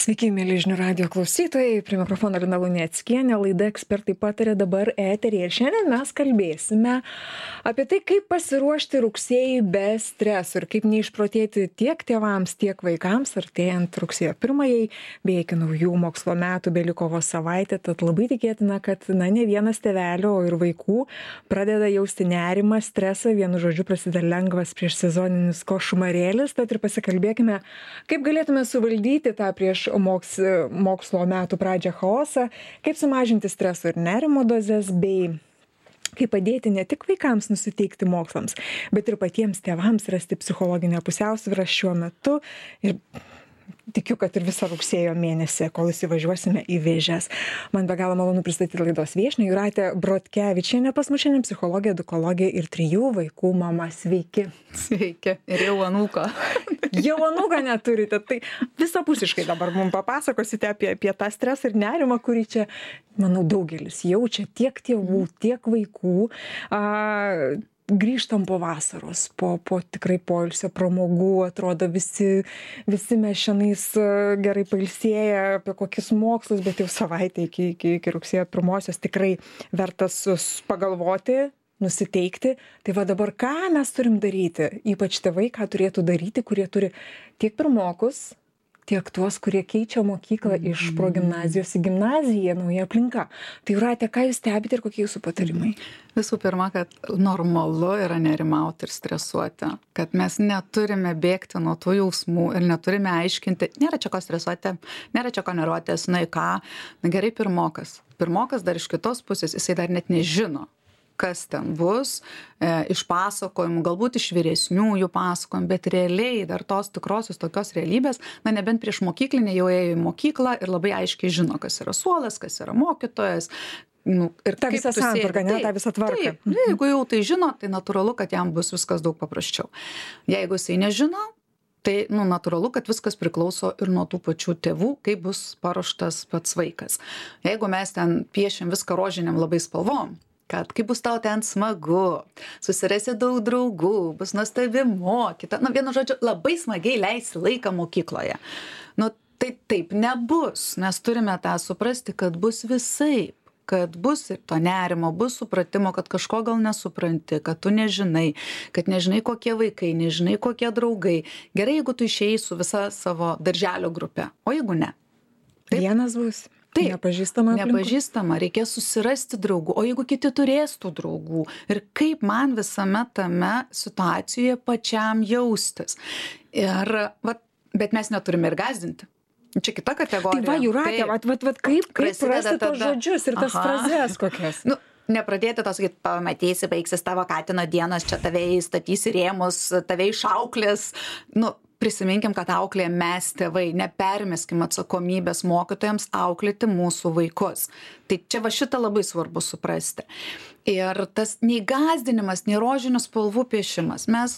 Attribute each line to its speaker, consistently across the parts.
Speaker 1: Sveiki, mėly žinių radijo klausytojai, prie mikrofono Lina Luneckienė, laida Ekspertai pataria dabar eteryje. Ir šiandien mes kalbėsime apie tai, kaip pasiruošti rugsėjui be streso ir kaip neišprotėti tiek tėvams, tiek vaikams, artėjant rugsėjo 1-ąjai, bei iki naujų mokslo metų beliko vos savaitė, tad labai tikėtina, kad ne vienas tėvelio, o ir vaikų pradeda jausti nerimą, stresą, vienu žodžiu prasideda lengvas prieš sezoninis košmarėlis, tad ir pasikalbėkime, kaip galėtume suvaldyti tą prieš mokslo metų pradžią chaosą, kaip sumažinti streso ir nerimo dozes, bei kaip padėti ne tik vaikams nusiteikti mokslams, bet ir patiems tėvams rasti psichologinę pusiausvyrą šiuo metu. Ir tikiu, kad ir visą rugsėjo mėnesį, kol įsivažiuosime į Vėžes. Man be galo malonu pristatyti laidos viešnią Jūratę Brodkevičienę, pas mus šiandien psichologė, edukologė ir 3 vaikų mama. Sveiki.
Speaker 2: Sveiki. Ir jau anūką.
Speaker 1: Jau anūką neturite. Tai visapusiškai dabar mums papasakosite apie tą stresą ir nerimą, kurį čia, manau, daugelis jaučia, tiek tėvų, tiek vaikų. Grįžtam po vasaros, po tikrai poilsio pramogų, atrodo visi mes šiandien gerai pailsėję apie kokius mokslus, bet jau savaitę iki rugsėjo 1-osios tikrai vertas pagalvoti, nusiteikti. Tai va dabar ką mes turim daryti, ypač tėvai, ką turėtų daryti, kurie turi tiek pirmokus, tiek tuos, kurie keičia mokyklą iš progimnazijos į gimnaziją, nauja aplinka. Tai Jūrate, ką jūs stebite ir kokie jūsų patarimai?
Speaker 2: Visų pirma, kad normalu yra nerimauti ir stresuoti, kad mes neturime bėgti nuo tų jausmų ir neturime aiškinti, nėra čia ko stresuoti, nėra čia ko nervuotis, ką. Gerai, pirmokas dar iš kitos pusės, jisai dar net nežino, kas ten bus, iš pasakojimų, galbūt iš vyresniųjų pasakojimų, bet realiai dar tos tikrosios tokios realybės, nebent prieš mokyklinę jau ėjo į mokyklą ir labai aiškiai žino, kas yra suolas, kas yra mokytojas. Ir
Speaker 1: ta visa santvarka, ta visa tvarka.
Speaker 2: Taip, jeigu jau tai žino, tai natūralu, kad jam bus viskas daug paprasčiau. Jeigu jisai nežino, tai natūralu, kad viskas priklauso ir nuo tų pačių tėvų, kaip bus paruoštas pats vaikas. Jeigu mes ten piešim viską rožiniam labai spalvom, kad kaip bus tau ten smagu, susirasi daug draugų, bus nuostabi mokyta. Vienu žodžiu, labai smagiai leisi laiką mokykloje. Tai taip nebus, nes turime tą suprasti, kad bus visaip, kad bus ir to nerimo, bus supratimo, kad kažko gal nesupranti, kad tu nežinai, kad nežinai kokie vaikai, nežinai kokie draugai. Gerai, jeigu tu išėjai su visa savo darželio grupe, o jeigu ne.
Speaker 1: Taip. Vienas bus.
Speaker 2: Taip,
Speaker 1: nepažįstama,
Speaker 2: reikės susirasti draugų, o jeigu kiti turės tų draugų ir kaip man visame tame situacijoje pačiam jaustis. Bet mes neturime ir gąsdinti. Čia kita kategorija.
Speaker 1: Tai va, Jūratė, kaip rasti tos žodžius ir tas frazes kokias?
Speaker 2: Nepradėti to sakyti, pamatysi, baigsis tavo katino dienos, čia tave įstatys į rėmus, tave išauklės. Prisiminkim, kad auklė mes tėvai, nepermeskim atsakomybės mokytojams auklėti mūsų vaikus. Tai čia va šitą labai svarbu suprasti. Ir tas nei gąsdinimas, nei rožinių spalvų piešimas. Mes,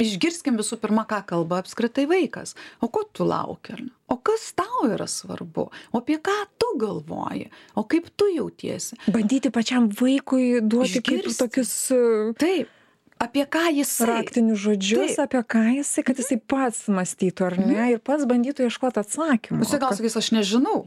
Speaker 2: išgirskim visų pirma, ką kalba apskritai vaikas. O ko tu lauki? O kas tau yra svarbu? O apie ką tu galvoji? O kaip tu jautiesi?
Speaker 1: Bandyti pačiam vaikui duoti kaip tokius...
Speaker 2: Taip. Apie ką jisai?
Speaker 1: Raktinius žodžius, taip. Apie ką jisai, kad jisai pats mąstytų, ar ne, ir pats bandytų ieškoti atsakymų.
Speaker 2: Jisai gal sakys, aš nežinau.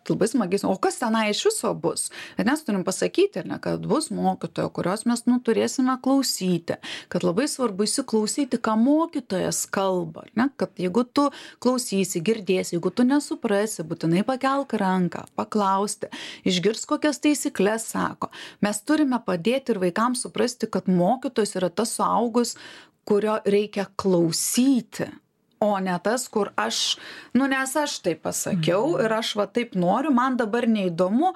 Speaker 2: Labai smagiai, o kas tenai iš viso bus? Ir mes turim pasakyti, kad bus mokytojo, kurios mes turėsime klausyti, kad labai svarbu įsiklausyti, ką mokytojas kalba, kad jeigu tu klausysi, girdėsi, jeigu tu nesuprasi, būtinai pakelk ranką, paklausti, išgirs kokias taisyklės sako. Mes turime padėti ir vaikams suprasti, kad mokytojas yra tas suaugus, kurio reikia klausyti. O ne tas, kur nes aš taip pasakiau ir aš taip noriu, man dabar neįdomu,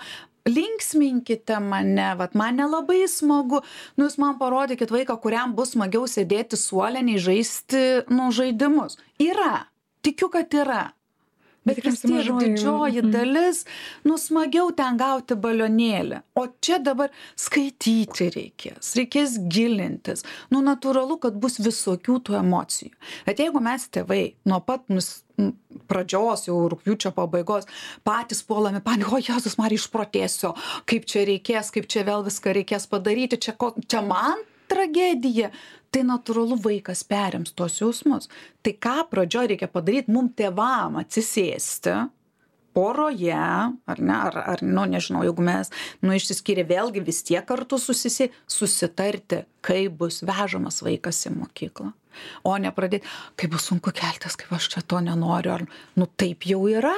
Speaker 2: linksminkite mane, man nelabai smagu, jūs man parodykit vaiką, kuriam bus smagiau sėdėti suole, nei žaisti, žaidimus. Yra, tikiu, kad yra. Bet vis tiek didžioji dalis, smagiau ten gauti balionėlį. O čia dabar skaityti reikės gilintis. Natūralu, kad bus visokių tų emocijų. Bet jeigu mes tėvai nuo pat pradžios, jau rugpjūčio pabaigos, patys puolami panika, o Jėzus Marija, išprotėsiu, kaip čia reikės, kaip čia vėl viską reikės padaryti, čia man tragedija, tai natūralu vaikas perims tos jausmus. Tai ką pradžioje reikia padaryti, mum tėvam atsisėsti poroje, ar ne, ar nežinau, jeigu mes, išsiskyrė vėlgi vis tiek kartu susitarti, kaip bus vežamas vaikas į mokyklą. O ne pradėti, kaip bus sunku keltis, kaip aš čia to nenoriu, ar, taip jau yra.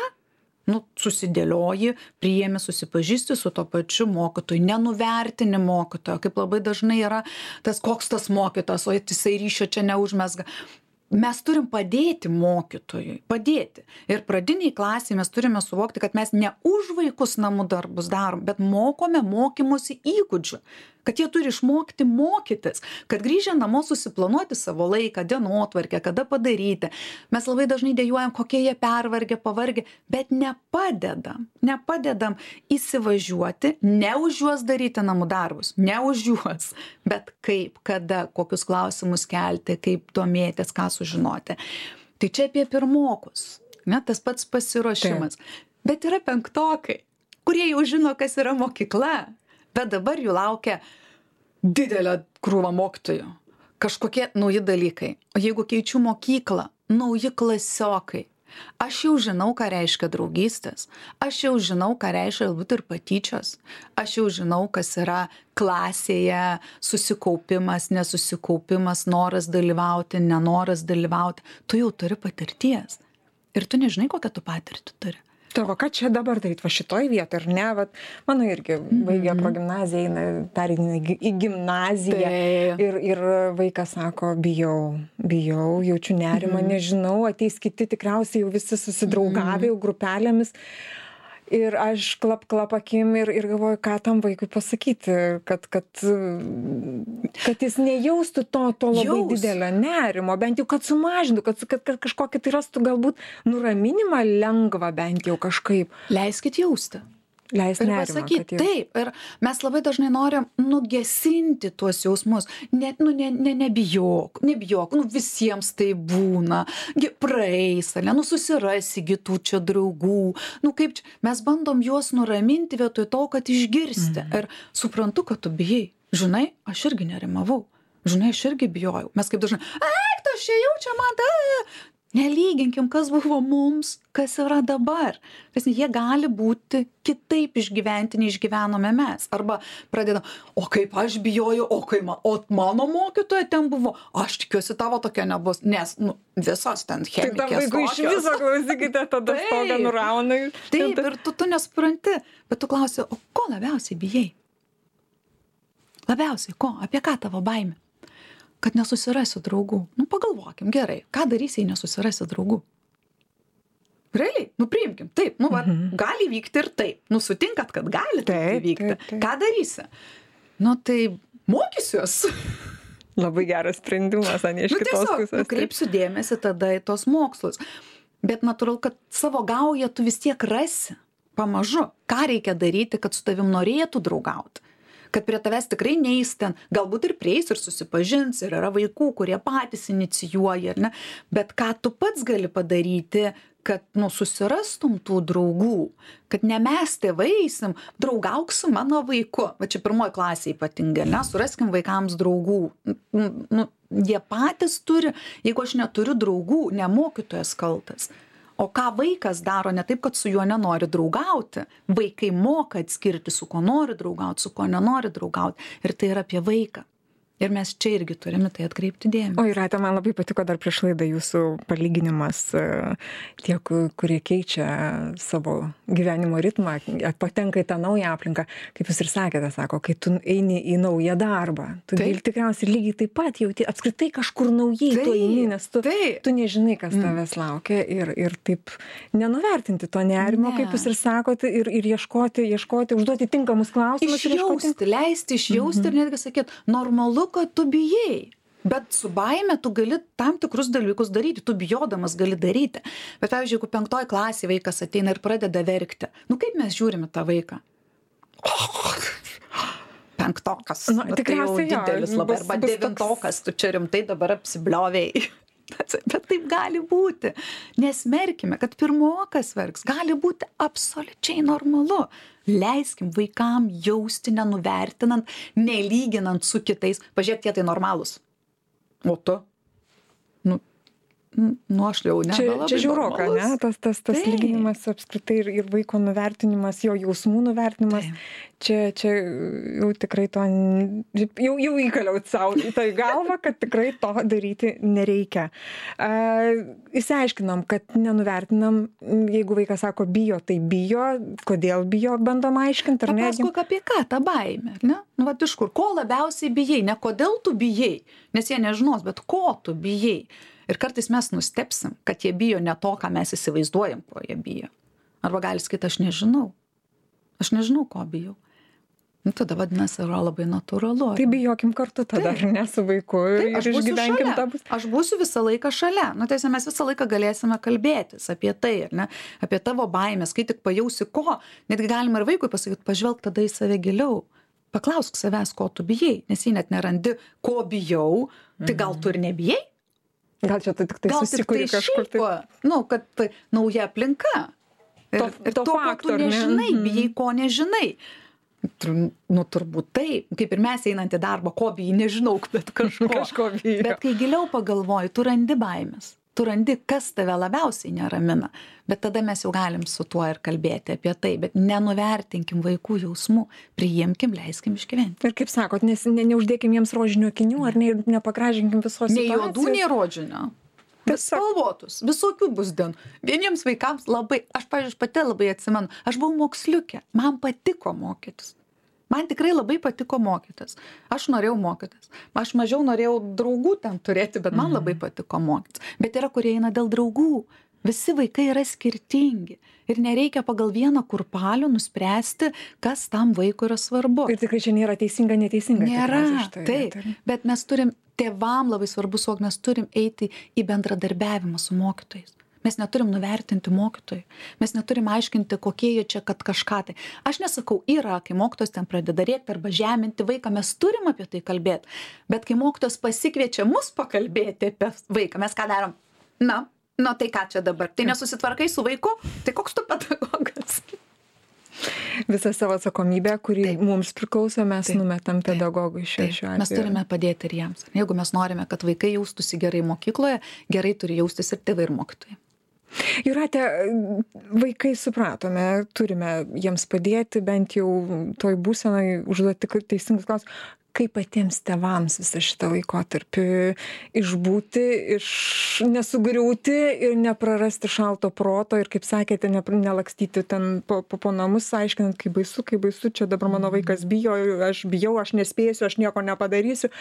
Speaker 2: Susidėlioji, priėmi, susipažįsti su to pačiu mokytoju, nenuvertini mokytojo, kaip labai dažnai yra koks tas mokytojas, o jisai ryšio čia neužmesga. Mes turim padėti mokytojui, padėti. Ir pradiniai klasiai mes turime suvokti, kad mes ne už vaikus namų darbus darom, bet mokome mokymosi įgūdžių, kad jie turi išmokti mokytis, kad grįžę namo susiplanuoti savo laiką, dienotvarkę, kada padaryti. Mes labai dažnai dejuojam, kokie jie pervargę, pavargę, bet nepadedam įsivažiuoti, ne už juos daryti namų darbus, ne už juos, bet kaip, kada, kokius klausimus kelti, kaip domėtis, ką sužinoti. Tai čia apie pirmokus, ne, tas pats pasiruošimas. Bet yra penktokai, kurie jau žino, kas yra mokykla. Bet dabar jų laukia didelė krūva mokytojų, kažkokie nauji dalykai. O jeigu keičiu mokyklą, nauji klasiokai, aš jau žinau, ką reiškia draugystės, aš jau žinau, ką reiškia galbūt ir patyčios, aš jau žinau, kas yra klasėje susikaupimas, nesusikaupimas, noras dalyvauti, nenoras dalyvauti. Tu jau turi patirties ir tu nežinai, kokią tu patirtį turi.
Speaker 1: Tavo, ką čia dabar daryti, va šitoj vietoj, ar ne, va, mano irgi baigė progimnaziją, pereina į gimnaziją ir vaikas sako, bijau, jaučiu nerimą, nežinau, ateis kiti tikriausiai jau visi susidraugavę jau grupelėmis. Ir aš klap akim ir galvoju, ką tam vaikui pasakyti, kad jis nejaustų to labai didelio nerimo, bent jau kad sumažintų, kad kažkokį tai rastų galbūt nuraminimą lengvą bent jau kažkaip.
Speaker 2: Leiskit jausti.
Speaker 1: Leisti nerimą.
Speaker 2: Pasakyti, taip, ir mes labai dažnai norim nugesinti tuos jausmus. Nebijok, visiems tai būna, praeis, susirasi tų čia draugų, kaip čia, mes bandom juos nuraminti vietoj to, kad išgirsti. Ir suprantu, kad tu bijai. Žinai, aš irgi nerimavau. Žinai, aš irgi bijojau. Mes kaip dažnai, aš čia jaučia man, nelyginkim, kas buvo mums, kas yra dabar. Jie gali būti kitaip išgyventi, nei išgyvenome mes. Arba pradedam, o kaip aš bijojau, o mano mokytoja ten buvo, aš tikiuosi tavo tokia nebus, nes visos ten chemikės tokios.
Speaker 1: Tai tam vaikui iš viso klausykite, tada stogą nurauna.
Speaker 2: Taip, ir tu nesupranti, bet tu klausi, o ko labiausiai bijai? Labiausiai ko? Apie ką tavo baimė? Kad nesusirasiu draugų. Pagalvokim, gerai, ką darysi, jei nesusirasi draugų? Realiai, priimkim, taip, gali vykti ir taip. Sutinkat, kad gali taip vykti. Taip. Ką darysi? Tai mokysiuos.
Speaker 1: Labai geras sprendimas, ne iš kitos pusės.
Speaker 2: Kreipsiu dėmesį tada į tos mokslus. Bet natūralu, kad savo gaują tu vis tiek rasi. Pamažu. Ką reikia daryti, kad su tavim norėtų draugauti? Kad prie tavęs tikrai neis ten, galbūt ir prieis ir susipažins, ir yra vaikų, kurie patys inicijuoja, ar ne? Bet ką tu pats gali padaryti, kad susirastum tų draugų, kad ne mes tėvai eisim, draugauk su mano vaiku. Va čia pirmoji klasė ypatingai, suraskim vaikams draugų. Jie patys turi, jeigu aš neturiu draugų, ne mokytojas kaltas. O ką vaikas daro, ne taip, kad su juo nenori draugauti. Vaikai moka atskirti, su kuo nori draugauti, su kuo nenori draugauti. Ir tai yra apie vaiką. Ir mes čia irgi turime tai atkreipti dėmesį.
Speaker 1: O Jūrate, man labai patiko dar prieš laidą jūsų palyginimas, tie, kurie keičia savo gyvenimo ritmą, patenka į tą naują aplinką, kaip jūs ir sakėte, kai tu eini į naują darbą, tu tikriausiai lygiai taip pat jauti, apskritai kažkur naujai tu eini, nes tu nežinai, kas tavęs laukia ir taip nenuvertinti to nerimo, kaip jūs ir sakote, ir ieškoti, užduoti tinkamus klausimus.
Speaker 2: Išjausti, leisti išjausti ir netgi sakyti, normalu, kad tu bijai, bet su baime tu gali tam tikrus dalykus daryti, tu bijodamas gali daryti. Bet pavyzdžiui, jeigu 5 klasėje vaikas ateina ir pradeda verkti, kaip mes žiūrime tą vaiką? 5-okas, tai jau didelis labai, arba 9-okas, tu čia rimtai dabar apsibliovėjai. Bet taip gali būti. Nesmerkime, kad pirmokas verks. Gali būti absoliučiai normalu. Leiskim vaikam jausti, nenuvertinant, nelyginant su kitais. Pažiūrėk, tie tai normalūs. O tu? Aš jau nebelabai.
Speaker 1: Čia žiauroka, ne? Tas lyginimas apskritai ir vaiko nuvertinimas, jo jausmų nuvertinimas. Čia jau tikrai to, jau įkaliau savo į tai galvą, kad tikrai to daryti nereikia. Išsiaiškinam, kad nenuvertinam, jeigu vaikas sako bijo, tai bijo, kodėl bijo, bandom aiškinti, ar ne?
Speaker 2: Papasakok apie ką, tą baimę, ar ne? Nu, vat iš kur, ko labiausiai bijai, ne kodėl tu bijai, nes jie nežinos, bet ko tu bijai. Ir kartais mes nustepsim, kad jie bijo ne to, ką mes įsivaizduojam, ko jie bijo. Arba gali sakyti, aš nežinau, ko bijau. Nu, tada vadinasi, yra labai natūralu.
Speaker 1: Tai bijokim kartu tada, ar ne, su vaiku ir išgyvenkim tą.
Speaker 2: Aš būsiu visą laiką šalia. Nu, tai mes visą laiką galėsime kalbėtis apie tai, ar ne? Apie tavo baimės, kai tik pajausi ko. Netgi galima ir vaikui pasakyti, pažvelk tada į save giliau. Paklausk savęs, ko tu bijai, nes jei net nerandi, ko bijau, tai gal tu ir nebijai?
Speaker 1: Gal čia tai tik tai susikuri kažkur.
Speaker 2: Kad tai nauja aplinka. Ir to, ko tu nežinai, bijai, ko nežinai. Turbūt taip, kaip ir mes einant į darbą, ko bijai, nežinau, bet kažko bijai. Bet kai giliau pagalvoji, tu randi baimės. Tu randi, kas tave labiausiai neramina. Bet tada mes jau galim su tuo ir kalbėti apie tai. Bet nenuvertinkim vaikų jausmų, priimkim, leiskim išgyventi.
Speaker 1: Ir kaip sakot, neuždėkim jiems rožinių akinių, ar nepagražinkim visos situacijos.
Speaker 2: Nei juodų, nei rožinio. Spalvotus, visokių bus dienų. Vieniems vaikams labai, aš pati labai atsimenu, aš buvau moksliukė, man patiko mokytis. Man tikrai labai patiko mokytis. Aš norėjau mokytis. Aš mažiau norėjau draugų ten turėti, bet man labai patiko mokytis. Bet yra, kurie eina dėl draugų. Visi vaikai yra skirtingi. Ir nereikia pagal vieną kurpalių nuspręsti, kas tam vaikui yra svarbu.
Speaker 1: Ir tikrai čia nėra teisinga, neteisinga.
Speaker 2: Nėra, taip. Bet mes turim, tėvam labai svarbu suvokti, mes turim eiti į bendradarbiavimą su mokytojais. Mes neturim nuvertinti mokytojų. Mes neturim aiškinti, kokie jie čia, kad kažką tai. Aš nesakau, yra, kai mokytojas ten pradeda rėkti arba žeminti vaiką, mes turim apie tai kalbėti. Bet kai mokytojas pasikviečia mus pakalbėti apie vaiką, mes ką darom? Na tai ką čia dabar? Tai nesusitvarkai su vaiku? Tai koks tu pedagogas?
Speaker 1: Visą savo atsakomybę, kuri mums priklauso, mes numetam pedagogui šiuo atveju.
Speaker 2: Mes turime padėti ir jiems. Jeigu mes norime, kad vaikai jaustųsi gerai mokykloje, gerai turi jaustis ir tėvai ir mokytojai.
Speaker 1: Jūrate, vaikai supratome, turime jiems padėti, bent jau toj būsenai užduoti teisingus klausimus. Kaip patiems tėvams visą šitą laikotarpį išbūti, nesugriūti ir neprarasti šalto proto ir, kaip sakėte, nelakstyti ten po namus, aiškinant, kaip baisu, čia dabar mano vaikas bijo, aš nespėsiu, aš nieko nepadarysiu.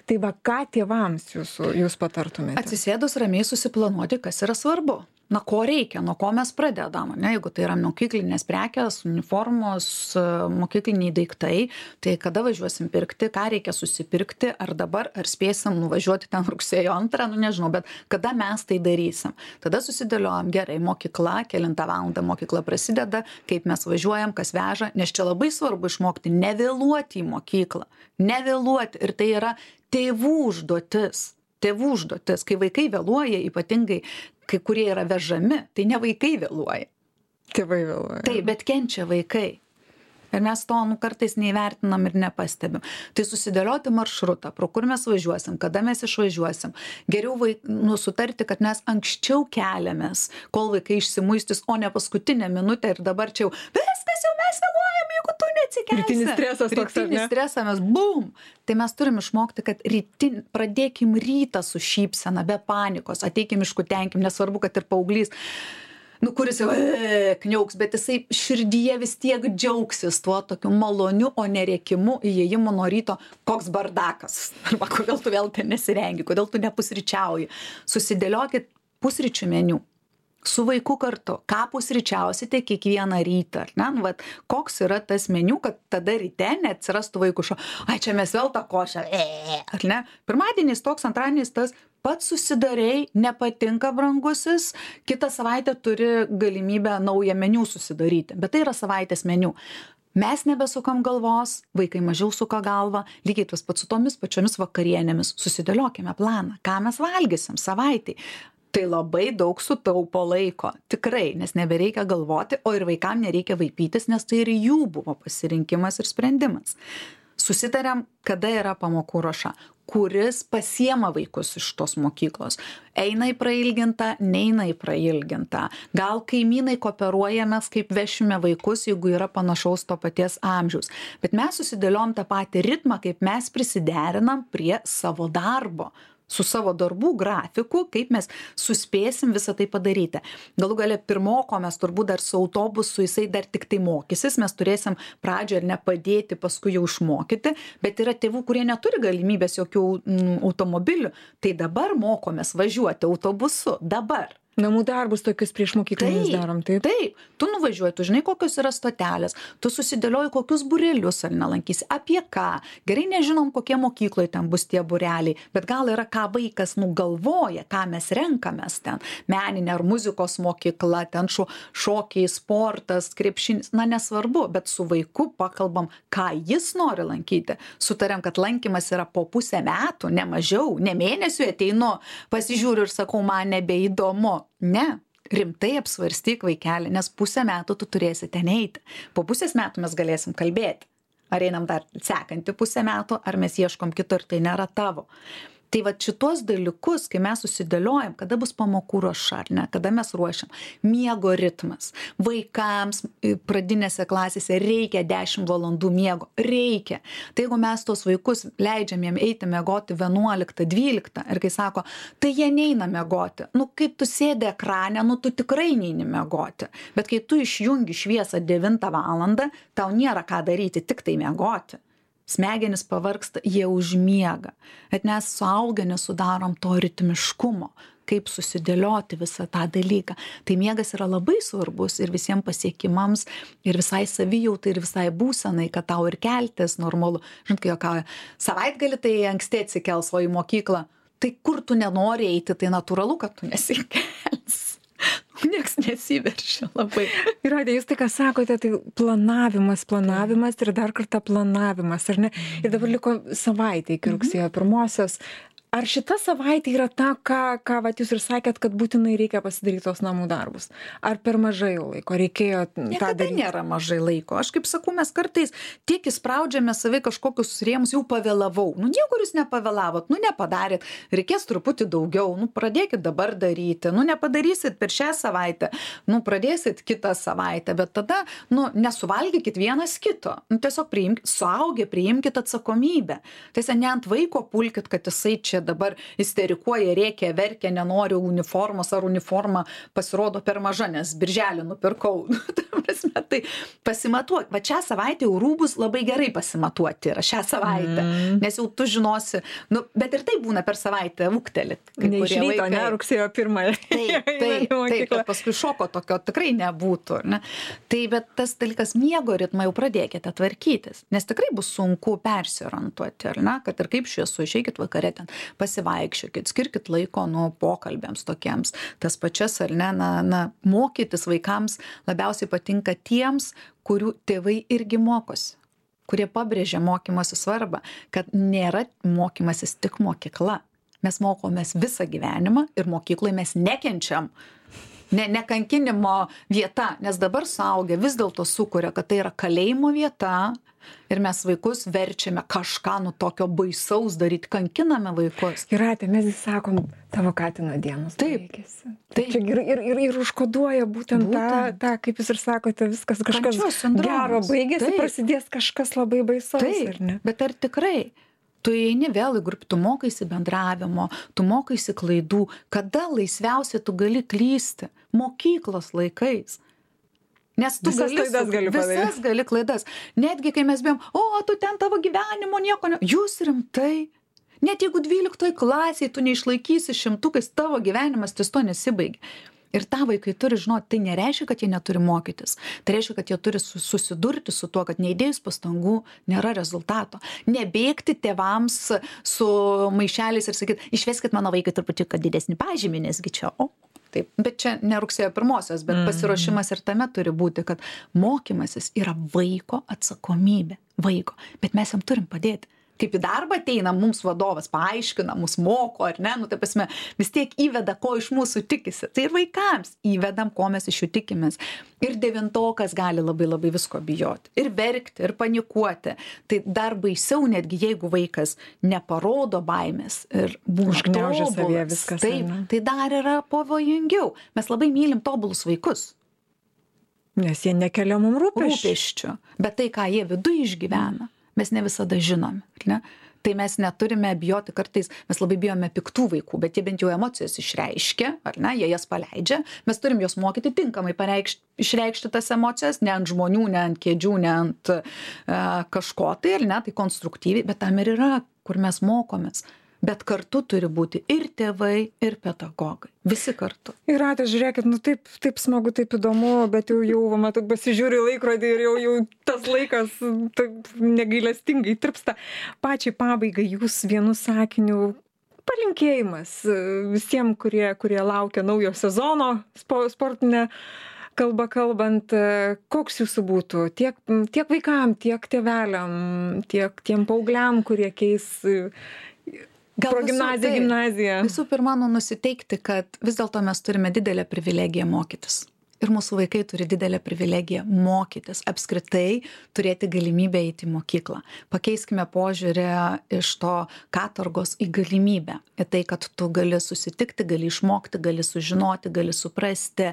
Speaker 1: Tai va, ką tėvams jūs patartumėte?
Speaker 2: Atsisėdus ramiai susiplanuoti, kas yra svarbu. Ko reikia, nuo ko mes pradedam, ne? Jeigu tai yra mokyklinės prekės, uniformos, mokykliniai daiktai, tai kada važiuosim pirkti, ką reikia susipirkti, ar dabar, ar spėsim nuvažiuoti ten rugsėjo 2, nežinau, bet kada mes tai darysim. Tada susidėliojam gerai, mokykla, kelintą valandą mokykla prasideda, kaip mes važiuojam, kas veža, nes čia labai svarbu išmokti nevėluoti į mokyklą, nevėluoti, ir tai yra tėvų užduotis, kai vaikai vėluoja, ypatingai kai kurie yra vežami, tai ne vaikai vėluoja.
Speaker 1: Tėvai vėluoja.
Speaker 2: Taip, bet kenčia vaikai. Ir mes to kartais neįvertinam ir nepastebim. Tai susidėlioti maršrutą, pro kur mes važiuosim, kada mes išvažiuosim. Geriau sutarti, kad mes anksčiau keliamės, kol vaikai išsimuistys, o ne paskutinę minutę ir dabar čia jau viskas, jau mes vėluojam, jeigu tu neatsikelsi.
Speaker 1: Rytinis stresas toks, ar ne?
Speaker 2: Rytinis stresas, mes bum! Tai mes turim išmokti, kad pradėkim rytą su šypsena, be panikos, ateikim iškutenkim, nesvarbu, kad ir paauglys, kuris jau kniauks, bet jisai širdyje vis tiek džiaugsis tuo tokiu maloniu, o nerėkimu įėjimu nuo ryto, koks bardakas, arba kodėl tu vėl ten nesirengi, kodėl tu nepusryčiauji. Susidėliokit pusryčių meniu su vaiku kartu, ką pusryčiausite kiekvieną rytą, ar ne? Koks yra tas meniu, kad tada ryte neatsirastų vaikų čia mes vėl tą košę, ar ne? Pirmadienis toks, antradieninis tas, pats susidarei, nepatinka brangusis, kitą savaitę turi galimybę naują meniu susidaryti, bet tai yra savaitės meniu. Mes nebesukam galvos, vaikai mažiau suka galvą, lygiai tas pats su tomis pačiomis vakarienėmis. Susidėliokime planą, ką mes valgysim savaitai. Tai labai daug sutaupo laiko, tikrai, nes nebereikia galvoti, o ir vaikam nereikia vaipytis, nes tai ir jų buvo pasirinkimas ir sprendimas. Susitariam, kada yra pamokų ruoša, kuris pasiema vaikus iš tos mokyklos. Eina į prailgintą, neina į prailgintą. Gal kaimynai kooperuojamės, kaip vešime vaikus, jeigu yra panašaus to paties amžiaus. Bet mes susidėliom tą patį ritmą, kaip mes prisiderinam prie savo darbo, su savo darbų grafiku, kaip mes suspėsim visą tai padaryti. Galų gale pirmoko mes turbūt dar su autobusu, jisai dar tik tai mokysis, mes turėsim pradžioje ir nepadėti, paskui jau išmokyti, bet yra tėvų, kurie neturi galimybės jokių automobilių, tai dabar mokomės važiuoti autobusu, dabar.
Speaker 1: Namų darbus tokius prieš mokyklinius darom, taip?
Speaker 2: Taip, tu nuvažiuoji, tu žinai, kokios yra stotelės, tu susidėlioji, kokius būrelius ar nelankysi, apie ką. Gerai nežinom, kokie mokykloje ten bus tie būreliai, bet gal yra ką vaikas nugalvoja, ką mes renkamės ten. Meninė ar muzikos mokykla, ten šokiai, sportas, krepšinis, na nesvarbu, bet su vaiku pakalbam, ką jis nori lankyti. Sutariam, kad lankymas yra po pusę metų, ne mažiau, ne mėnesių ateinu, pasižiūriu ir sakau, man nebeįdomu. Ne, rimtai apsvarstyk vaikelį, nes pusę metų tu turėsi ten eiti. Po pusės metų mes galėsim kalbėti. Ar einam dar sekantį pusę metų, ar mes ieškom kito ir tai nėra tavo. Tai va šitos dalykus, kai mes susidėliojam, kada bus pamokų ruoša, ar ne, kada mes ruošiam, miego ritmas. Vaikams pradinėse klasėse reikia 10 valandų miego, reikia. Tai jeigu mes tos vaikus leidžiam jiem eiti miegoti 11-12, ir kai sako, tai jie neina miegoti. Nu, kaip tu sėdi ekrane, nu, tu tikrai neini miegoti. Bet kai tu išjungi šviesą 9 valandą, tau nėra ką daryti, tik tai miegoti. Smegenis pavargsta, jie užmiega. Bet mes suaugę nesudarom to ritmiškumo, kaip susidėlioti visą tą dalyką. Tai miegas yra labai svarbus ir visiems pasiekimams, ir visai savijautai, ir visai būsenai, kad tau ir keltis normalu. Žinot, kai juokauja, savaitgalį tai anksti atsikels, o į mokyklą, tai kur tu nenori eiti, tai natūralu, kad tu nesikels. Niekas nesiveršia labai.
Speaker 1: Ir jūs tai, ką sakote, tai planavimas ir dar kartą planavimas, ar ne? Ir dabar liko savaitė iki rugsėjo 1. Ar šita savaitė yra ta, ką vat jūs ir sakėt, kad būtinai reikia pasidaryti tos namų darbus? Ar per mažai laiko reikėjo tą daryti?
Speaker 2: Niekada nėra mažai laiko. Aš kaip sakau, mes kartais tiek įspraudžiame savai kažkokius rėmus, jau pavėlavau. Nu, niekur jūs nepavėlavot, nu, nepadarėt. Reikės truputį daugiau. Nu, pradėkit dabar daryti. Nu, nepadarysit per šią savaitę. Nu, pradėsit kitą savaitę. Bet tada, nu, nesuvalgykit vienas kito. Nu, tiesiog suaugę, priimkit atsakomybę. Tiesiog ne ant vaiko pulkit, kad jisai čia dabar isterikuoja, rėkia, verkia, nenori uniformos ar uniforma pasirodo per maža, nes birželį nupirkau. Tai pasimatuok. Va šią savaitę jau rūbus labai gerai pasimatuoti yra šią savaitę, nes jau tu žinosi, nu, bet ir tai būna per savaitę ūgtelit.
Speaker 1: Ne iš ryto, ne, rugsėjo 1.
Speaker 2: Taip, kad paskui šoko tokio tikrai nebūtų. Ne? Tai bet tas dalykas miego ritmą jau pradėkite tvarkytis, nes tikrai bus sunku persiorientuoti, ar ne, kad ir kaip šviesu, išeikit vakare ten, pasivaikščiokit, skirkit laiko nuo pokalbėms tokiems. Tas pačias, ar ne, mokytis vaikams labiausiai patinka tiems, kurių tėvai irgi mokosi, kurie pabrėžia mokymosi svarbą, kad nėra mokymasis tik mokykla. Mes mokomės visą gyvenimą ir mokykloje mes nekenčiam. Nekankinimo vieta, nes dabar suaugę vis dėlto sukuria, kad tai yra kalėjimo vieta ir mes vaikus verčiame kažką nu tokio baisaus daryti, kankiname vaikus.
Speaker 1: Jūrate, mes sakom, tavo katino dienos baigėsi. Taip. Ir užkoduoja būtent tą, kaip jūs ir sakote, viskas kažkas gero baigėsi, prasidės kažkas labai baisaus.
Speaker 2: Taip, bet ar tikrai? Tu eini vėl į grupę, tu mokaisi bendravimo, tu mokaisi klaidų. Kada laisviausiai tu gali klysti? Mokyklos laikais. Nes tu visas gali klaidas. Netgi kai mes bijom, tu ten tavo gyvenimo nieko ne. Jūs rimtai. Net jeigu 12 klasėje tu neišlaikysi 100, tavo gyvenimas ties to nesibaigia. Ir tą vaikai turi žinoti, tai nereiškia, kad jie neturi mokytis. Tai reiškia, kad jie turi susidurti su tuo, kad neįdėjus pastangų nėra rezultato. Nebėgti tėvams su maišeliais ir sakyti, išveskit mano vaikai truputį, kad didesnį pažymį, nesgi čia, taip, bet čia ne rugsėjo 1, bet pasiruošimas ir tame turi būti, kad mokymasis yra vaiko atsakomybė, vaiko, bet mes jam turim padėti. Kaip į darbą ateina mums vadovas, paaiškina, mus moko, ar ne, nu tai pasme, vis tiek įveda, ko iš mūsų tikisi. Tai ir vaikams įvedam, ko mes iš jų tikimės. Ir 9-okas gali labai labai visko bijoti. Ir verkti, ir panikuoti. Tai dar baisiau, netgi jeigu vaikas neparodo baimės ir būna
Speaker 1: užgniaužia savyje
Speaker 2: tobulas.
Speaker 1: viskas.
Speaker 2: Taip, tai dar yra pavojingiau. Mes labai mylim tobulus vaikus.
Speaker 1: Nes jie nekelia mums
Speaker 2: Rūpesčių. Bet tai, ką jie viduje išgyvena, mes ne visada žinome, ar ne? Tai mes neturime bijoti kartais, mes labai bijome piktų vaikų, bet jie bent jau emocijas išreiškia, ar ne, jie jas paleidžia, mes turim juos mokyti tinkamai išreikšti tas emocijas, ne ant žmonių, ne ant kėdžių, ne ant kažko tai, ar ne, tai konstruktyviai, bet tam ir yra, kur mes mokomės. Bet kartu turi būti ir tėvai, ir pedagogai. Visi kartu.
Speaker 1: Jūrate, žiūrėkit, nu taip smagu, taip įdomu, bet jau matau, pasižiūriu į laikrodį ir jau tas laikas taip negailestingai tirpsta. Pačiai pabaigai jūs vienu sakiniu palinkėjimas visiems, kurie laukia naujo sezono sportinę kalbą kalbant, koks jūsų būtų tiek vaikam, tiek tėveliam, tiek tiem paaugliam, kurie keis gimnaziją.
Speaker 2: Visų pirma, nusiteikti, kad vis dėlto mes turime didelę privilegiją mokytis. Ir mūsų vaikai turi didelę privilegiją mokytis, apskritai turėti galimybę eiti į mokyklą. Pakeiskime požiūrį iš to katorgos į galimybę. Į tai, kad tu gali susitikti, gali išmokti, gali sužinoti, gali suprasti,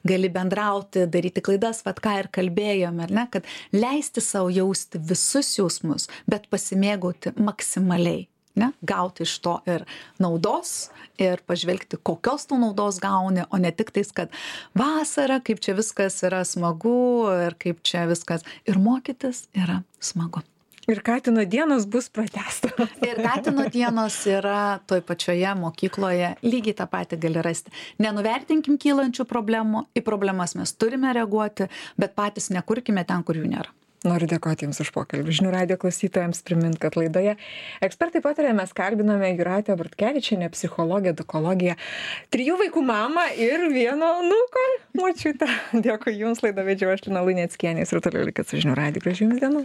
Speaker 2: gali bendrauti, daryti klaidas, vat ką ir kalbėjome, ar ne, kad leisti savo jausti visus jausmus, bet pasimėgauti maksimaliai. Ne? Gauti iš to ir naudos, ir pažvelgti, kokios tu naudos gauni, o ne tik tais, kad vasara, kaip čia viskas yra smagu ir kaip čia viskas. Ir mokytis yra smagu.
Speaker 1: Ir Katino dienos bus pratęstos.
Speaker 2: Ir Katino dienos yra toj pačioje mokykloje, lygiai tą patį gali rasti. Nenuvertinkim kylančių problemų, į problemas mes turime reaguoti, bet patys nekurkime ten, kur jų nėra.
Speaker 1: Noriu dėkoti Jums už pokalbį. Žinių radijo klausytojams primint, kad laidoje Ekspertai pataria mes kalbiname Jūratę Bortkevičienę, psichologę, edukologę, 3 vaikų mamą ir 1 anūko močiutę. Dėkui Jums, laidą vedžiau aš, Lina Luneckienė, ir toliau likit su Žinių radiju. Gražių Jums dienų.